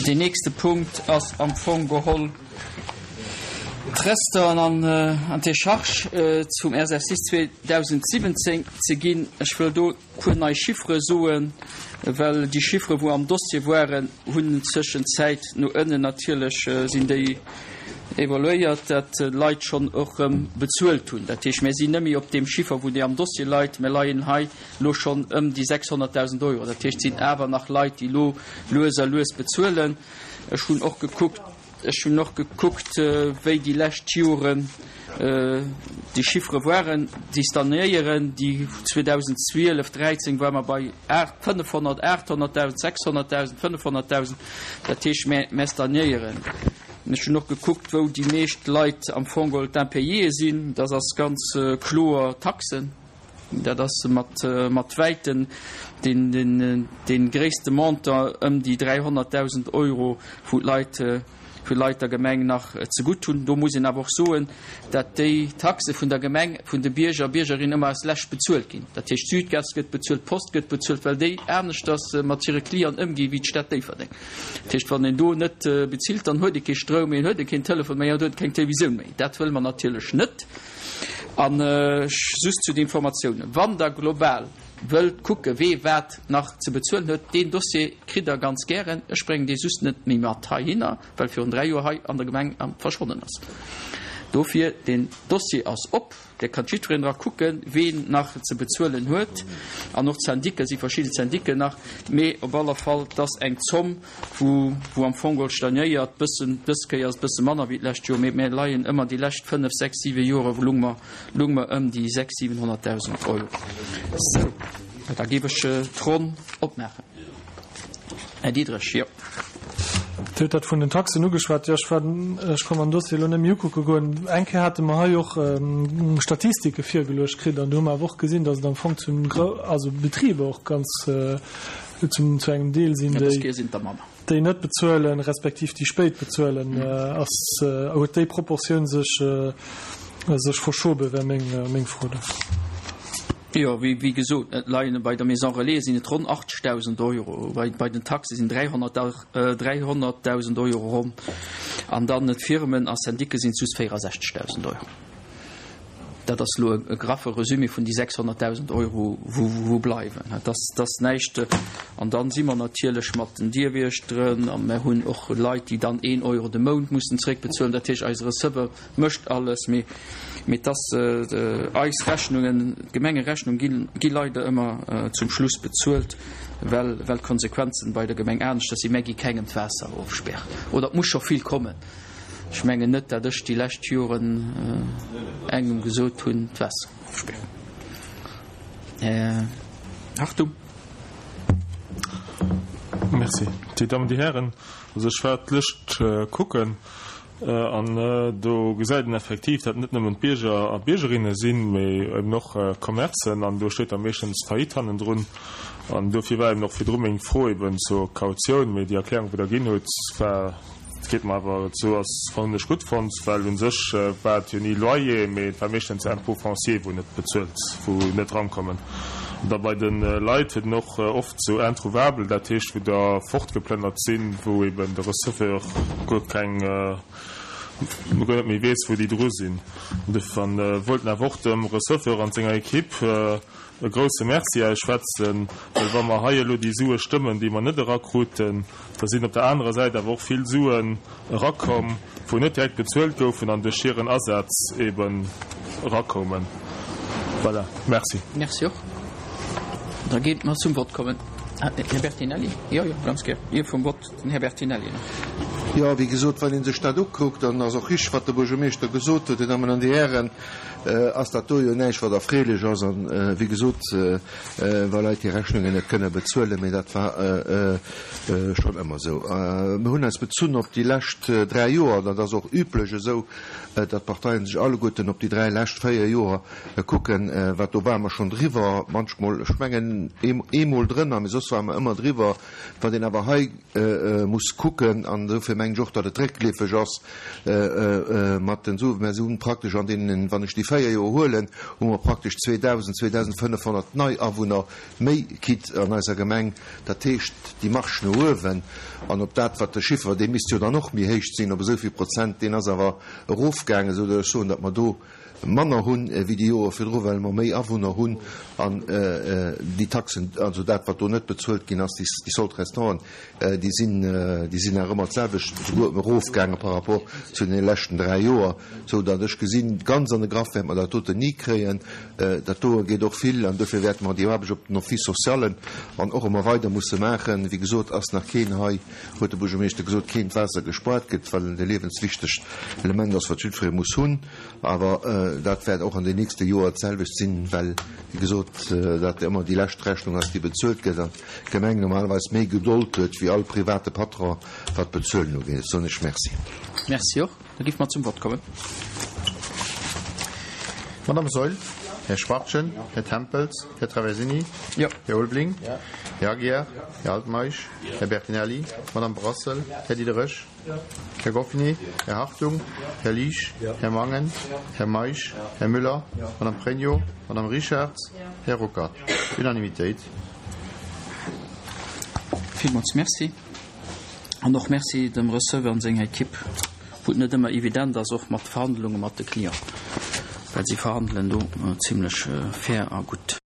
Deen nächste Punkt ass am Fong geholl d'Resteren an d'Décharge zum Exercice 2017 ze ginn. Ech wëll do e puer nei Chiffere soen, well déi Chiffere wou am Dossier waren, hunn Zëschenzäit no ënnen natierlech sinn déi evoluéiert, dat d'Leit schonn och erëm bezuelt hunn. Dat heescht, mir sinn net méi op deem Chiffer wou dee am Dossier leit, mir leien hei elo schonn ëm déi 600.000 Euro. Dat heescht, et sinn awer nach Leit, déi elo lues a lues bezuelen. Ech hunn och gekuckt, ech hunn och gekuckt, wéi déi lescht Joren déi Chiffere waren. Déi stagnéieren. Déi 2012, 13 ware mer bei 500, 800.000, 600.000, 500.000. Dat heescht, mir, mir stagnéieren. Ech hunn och gekuckt, wou déi meescht Leit am Fong geholl d'Impayéë sinn. Dat ass ganz kloer Taxen. Dat ass mat mat wäiten deen dee gréisste Montant, ëm déi 300.000 Euro, wou d'Leit wou d'Leit der Gemeng nach zegutt hunn. Do muss een awer och soen, dat déi Taxe vun der Gemeng vun de Bierger a Biergerinnen ëmmer als lescht bezuelt ginn. Dat heescht, d'Südgas gëtt bezuelt, d'Post gëtt bezuelt, well déi aneschters mat hire Clienten ëmgi wéi d'Stad Déifferdeng. Dat heescht, wann een do net bezilt, dann huet ee kee Stroum méi, huet ee keen Telefon méi an huet keng Televisioun méi. Dat wëlle mer natierlech net. An just zu den Informatiounen, Wann Der global wëllt kucken, wee wat nach ze bezuelen huet, deen Dossier kritt Der ganz gären. Ech bréngen dee just net méi mat heihinner, well virun 3 Joer hei an der Gemeng verschwonnen ass. Dofir, deen Dossier ass op, Der kann jiddwereen dra kucken, ween nach ze bezuelen huet. An och d'Syndiquen, si verschidde Syndiquen nach. Mee op alle Fall, et ass eng Zomm, wou wou am Fong geholl stagnéiert, bëssen, dës Kéier ass et bësse manner wéi d'lescht Joer, mee mir leien ëmmer déi lescht 5, 6, 7 Jore lung mer, lung mer ëm déi 600, 700.000 Euro. Sou, da géif ech d'Ronn opmaachen. Här Diderich, jo. Dir hutt dat vun den Taxen ugeschwat. Jo, ech war, ech konnt mer den Dossier elo net méi ukucke goen. Eng Kéier hate mer hei och Statistike virgeluecht kritt an do hu mer awer och gesinn, datt et am Fong zu also Betriber och ganz, Zum zu engem Deel sinn déi, déi net bezuelen, respektiv déi spéit bezuelen. Ass, huet déi Proportioun sech sech verschoben, wär meng meng Fro do. Jo, wéi wéi gesot, et leien bei der Maison Relais sinn et ronn 80.000 Euro, bei bei den Taxe sinn 300.000 Euro ronn an dann d'Firmen a Syndique sinn et just 64.000 Euro. Dat ass elo e graffe Resumé vun déi 600.000 Euro, wou bleiwen. Dat ass näischt. An dann si mer natierlech mat den Dierwiechteren a mer hunn och Leit, déi dann een Euro de Mount mussen zréckbezuelen. Dat heescht, eise Receveur mécht alles, mee et ass eis Rechnungen, d'Gemengerechnung gi leider ëmmer zum Schluss bezuelt, well d'Konsequenzen bei der Gemeng aneschters sinn. Mer gi kengem d'Waasser ofspären oder et muss scho vill kommen. Ech mengen net, dat ech déi lescht Joren engem gesot hunn, d'Waasser ofspären. Här Hartung. Merci. Dir Dammen, Dir Hären, also ech war d'Lëscht kucken an do gesäit een effektiv, dat net nëmmen d'Bierger a Biergerinne sinn, mee eben och Commercen an do steet da meeschtens Faillite hannendrun. An dofir war eben och virdru meng Fro eben zur Kautioun, mee déi Erklärung, wou Der ginn hutt, war, Et geet mer awer esou, ass fannen ech gutt fonnt, well un sech war et jo ni Loyer, mee et war meeschtens Impôt foncier wou net bezuelt, wou net rankommen. An da bei de Leit huet en och oft sou introuvabel, dat heescht wou der fortgeplënnert sinn, wou eben de Receveur guer keng, guer net méi weess wou déi dru sinn. An wollten awer och dem Receveur an senger Equipe E grouse Merci ausschwätzen, well wa mer hei elo déi Sue stëmmen, déi mer net erakruten, da sinn op der anerer Säit awer och vill Suen erakomm, wou net direkt bezuelt goufen an duerch hiren Asaz eben erakoumen. Voilà, merci. Merci och. Da géint mer zum Vott kommen. Här Bertinelli? Jo, jo, ganz gär. Ier vum Vott den Här Bertinelli nach. Jo, wéi gesot, wann ee sech dat ukuckt, dann ass och richtig, wat de Buergermeeschter gesot huet, Dir Dammen an Dir Hären, ass dat do jo näischt, wat erfreelech ass. An, wéi gesot, wa Leit hir Rechnungen net kënne bezuelen, mee dat war schonn ëmmer esou. Mir hunn eis bezunn op déi lescht 3 Joer, dat ass och üblech esou, datt d'Parteien sech alleguerten op déi 3 lescht 4 Joer kucken, wat do ware mer schonn driwwer, manchmol, ech mengen eemol drënner, mee soss ware mer ëmmer driwwer. Wat een awer hei muss kucken, an dofir mengen ech och, datt et réckleefeg ass mat den Suen, mä se hunn praktesch an deenen, wann ech déi. véier Joer huelen, hu mer praktesch 2.000, 2.500 nei Awunner méi kritt an eiser Gemeng. Dat heescht, déi Marge no uewen, an op dat, wat de Chiffer, dee misst jo dann och méi héich sinn, op esou vill Prozent, deen ass awer erofgaangen, esou datt ech soen, datt mer do manner hunn wéi déi Joere virdru, well mer méi Awunner hunn an déi Taxen, also dat, wat do net bezuelt ginn ass, déi Solde-restanten, déi sinn, déi sinn nach ëmmer d'selwecht, souguer erofgaange par rapport zu deene leschten dräi Joer, sou datt ech gesinn, ganz an de Graff wäerte mer dat doten ni kréien. Dat doe geet och vill an dofir wäerte mer déi Aarbecht op den Office-socialen an och ëmmer weider musse maachen. Wéi gesot ass nach keen hei, huet de Buergermeeschter gesot, keen d'Waasser gespuart gëtt, well et e liewenswichtegt Element ass, wat jiddweree muss hunn. Awer dat wäert och an den nächste Joer d'selwecht sinn, well, wéi gesot, dat ëmmer déi lescht Rechnung ass, déi bezuelt gëtt an d'Gemeng normalerweis méi Gedold huet wéi all private Patron, wat d'Bezuelen ugeet. Soen ech Merci. Merci och. Da géife mer zum Vott kommen. Madame Saeul, Här Schwachtgen, Här Tempels, Här Traversini, Här Ulveling, Här Aguiar, Här Altmeisch, Här Bertinelli, Madame Brassel, Här Diderich, Här Goffinet, Här Hartung, Här Liesch, Här Mangen, Här Meisch, Här Müller, Madame Pregno, Madame Richarz, Här Ruckert. Unanimitéit. Villmools Merci. An och Merci dem Receveur an senger Ekipp, wou et net ëmmer evident ass, och mat Verhandlunge mat de Clienten, well si verhandelen do zimlech fair a gutt.